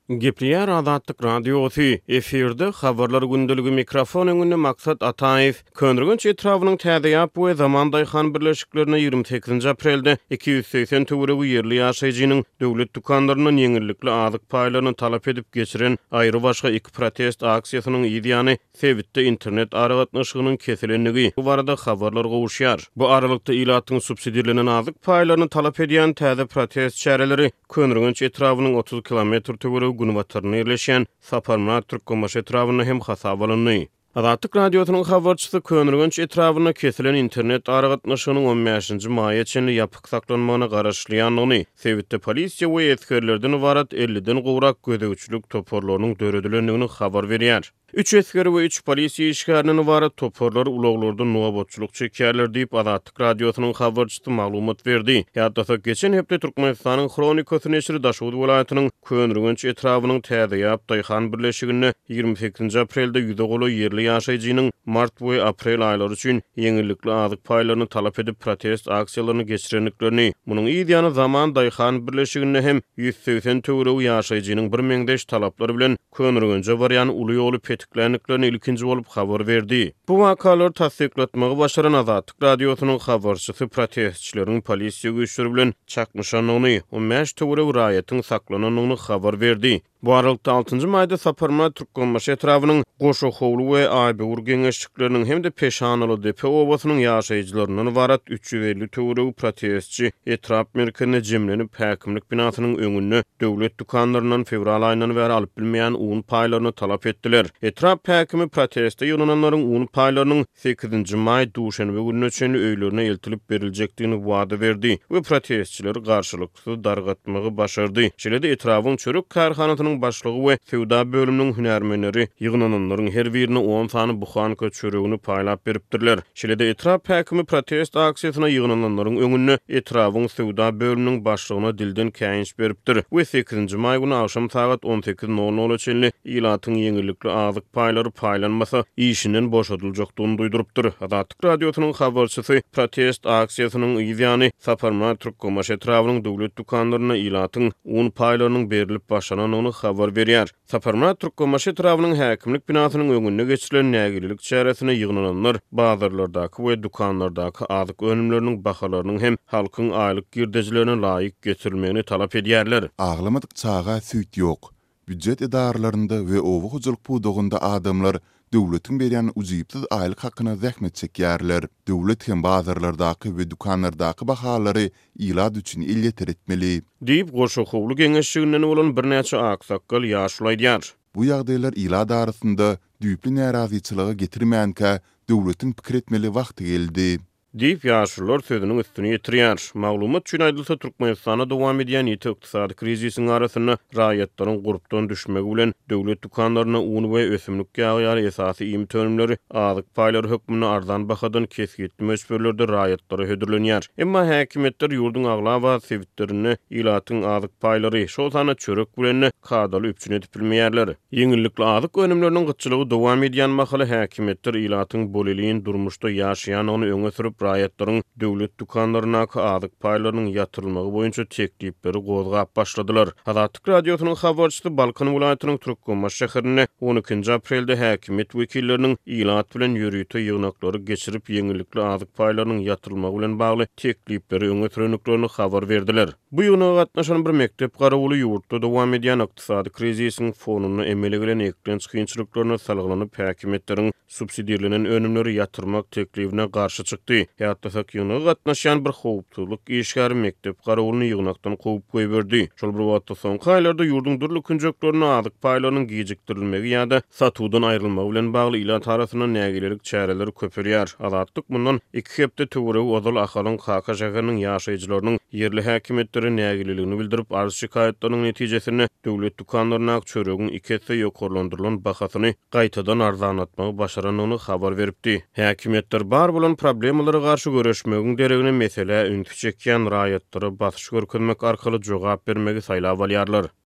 Gepleýär Azatlyk Radiosy, efirde Habarlar gündeligi mikrofon öňünde Maksat Ataýew. Köneürgenç etrabynyň Täzeýap we Zaman daýhan birleşiklerinde 28-nji aprelde 280 töweregi ýerli ýaşaýjynyň döwlet dükanlaryndan ýeňillikli azyk paýlaryny talap edip geçiren aýrybaşga iki protest aksiýasynyň yz ýany sebitde internet aragatnaşygynyň kesilendigi barada habarlar gowuşýar. Bu aralykda ilatyň subsidirlenen azyk paýlaryny talap edýän täze protest çäreleri Köneürgenç etrabynyň 30 kilometr töweregi günbatarynda ýerleşýän Saparmyrat Türkmenbaşy etrabynda hem hasaba alyndy. Azatlyk Radiosynyň habarçysy Köneürgenç etrabynda kesilen internet aragatnaşygynyň on bäşinji maýa çenli ýapyk saklanmagyna garaşylýandygyny, sebitde polisiýa we esgerlerden ybarat elliden gowrak gözegçilik toparlarynyň döredilendigini habar berýär. Üç esger we üç polisiýa işgärinden ybarat toparlar ulaglarda nobatçylyk çekýärler diýip, Azatlyk Radiosynyň habarçysy maglumat berdi. Ýatlasak, geçen hepde Türkmenistanyň Hronikasy neşiri Daşoguz welaýatynyň Köneürgenç etrabynyň Täzeýap daýhan birleşiginde 28-nji aprelde ýüze golaý ýerli ýaşaýjynyň mart we aprel aýlary üçin ýeňillikli azyk paýlaryny talap edip protest aksiýalaryny geçirendiklerini, munuň yz ýany Zaman daýhan birleşiginde hem 180 töweregi ýaşaýjynyň birmeňzeş talaplar bilen Köneürgenje barýan uly ýoly petikländiklerini ilkinji bolup habar berdi. Bu wakalary tassyklatmagy başaran Azatlyk Radiosynyň habarçysy protestçileriň polisiýa güýçleri bilen çaknyşandygyny, 15 töweregi raýatyň saklanandygyny habar berdi. Bu aralykda, altynjy maýda Saparmyrat Türkmenbaşy etrabynyň Goşahowly we Aýböwür geňeşlikleriniň hem-de Peşanalydepe obasynyň ýaşaýjylaryndan ybarat 350 töweregi protestçi etrap merkezinde jemlenip, häkimlik binasynyň öňünde döwlet dükanlaryndan fewral aýyndan bäri alyp bilmeýän un paýlaryny talap etdiler. Etrap häkimi proteste ýygnananlaryň un paýlarynyň sekizinji maý duşenbe gününe çenli öýlerine eltilip beriljekdigini wada berdi we protestçileri garşylyksyz dargatmagy başardy. Şeýle-de etrabyň çörek kärhanasynyň başlygy we söwda bölüminiň hünärmenleri ýygnananlaryň her birine on sany buhanka çöregini paýlap beripdirler. Şeýle-de etrap häkimi protest aksiýasyna ýygnananlaryň öňünde etrabyň söwda bölüminiň başlygyna dilden käýinç beripdir we sekizinji maý güni agşam sagat on sekiz nol nola çenli ilatyň ýeňillikli azyk paýlary paýlanmasa, işinden boşadyljakdygyny duýdurypdyr. Azatlyk Radiosynyň habarçysy protest aksiýasynyň yz ýany Saparmyrat Türkmenbaşy etrabynyň döwlet dükanlarynda ilatyň un paýlarynyň berlip başlanandygyny habar berýär. Saparmyrat Türkmenbaşy etrabynyň häkimlik binasynyň öňünde geçirilen nägilelik çäresine ýygnananlar bazarlardaky we dükanlardaky azyk önümleriniň bahalarynyň hem halkyň aýlyk girdejilerine laýyk getirilmegini talap edýärler. Aglamadyk çaga süýt ýok. Býujet edaralarynda we oba hojalyk pudagynda adamlar döwletiň berýän ujypsyz aýlyk hakyna zähmet çekýärler. Döwlet hem bazarlardaky we dükanlardaky bahalary ilat üçin elýeter etmeli. Diýip, Goşahowly geňeşliginden bolan birnäçe aksakgal ýaşuly aýdýar. Bu ýagdaýlar ilat arasynda düýpli närazyçylyga getirmänkä, döwletiň pikir etmeli wagty geldi. Diýip, ýaşulular sözüniň üstüni ýetirýär. Maglumat üçin aýdylsa, Türkmenistanda dowam edýän ýiti ykdysady krizisiň arasynda raýatlaryň gurpdan düşmegi bilen, döwlet dükanlarynda un we ösümlik ýagy ýaly esasy iýmit önümleri azyk paýlary hökmünde arzan bahadan kesgitli möçberlerde raýatlara hödürlenýär. Emma häkimiýetler ýurduň aglaba sebitlerinde ilatyň azyk paýlary, şol sanda çörek bilen-de kadaly üpjün edip bilmeýärler. Ýeňillikli azyk önümleriniň gytçylygy dowam edýän mahaly häkimiýetler ilatyň bolelin durmuşda ýaşaýandygyny öňe sürüp, raýatlaryň döwlet dükanlaryndaky azyk paýlarynyň ýatyrylmagy boýunça teklipleri gozgap başladylar. Azatlyk Radiosynyň habarçysy Balkan welaýatynyň Türkmenbaşy şäherinde on ikinji aprelde häkimiýet wekilleriniň ilat bilen ýörite ýygnaklary geçirip, ýeňillikli azyk paýlarynyň ýatyrylmagy bilen bagly teklipleri öňe sürendiklerini habar berdiler. Bu ýygnaga gatnaşan bir mekdep garawuly ýurtda dowam edýän ykdysady krizisiň fonunda emele gelen eklenç kynçylyklaryna salgylanyp, häkimiýetleriň subsidirlenen önümleri ýatyrmak teklibine garşy çykdy. Ýatlasak, ýygnaga gatnaşýan bir howpsuzlyk işgäri mekdep garawulyny ýygnakdan kowup goýberdi. Şol bir wagtda, soňky aýlarda ýurduň dürli künjeklerinde azyk paýlarynyň gijikdirilmegi ýa-da satuwdan aýrylmagy bilen bagly ilat arasynda nägilelik çäreleri köpelýär. Azatlyk mundan iki hepde töweregi ozal Ahalyň Kaka şäheriniň ýaşaýjylarynyň ýerli häkimiýetlere nägileligini bildirip, arz-şikaýatlarynyň netijesinde döwlet dükanlaryndaky çöregiň iki esse ýokarlandyrylan bahasyny gaýtadan arzanlatmagy başarandygyny habar beripdi. Häkimiýetler bar bolan problemalara garşy göreşmegiň deregine meselä ünsi çekýän raýatlara basyş görkezmek arkaly jogap bermegi saýlap alýarlar.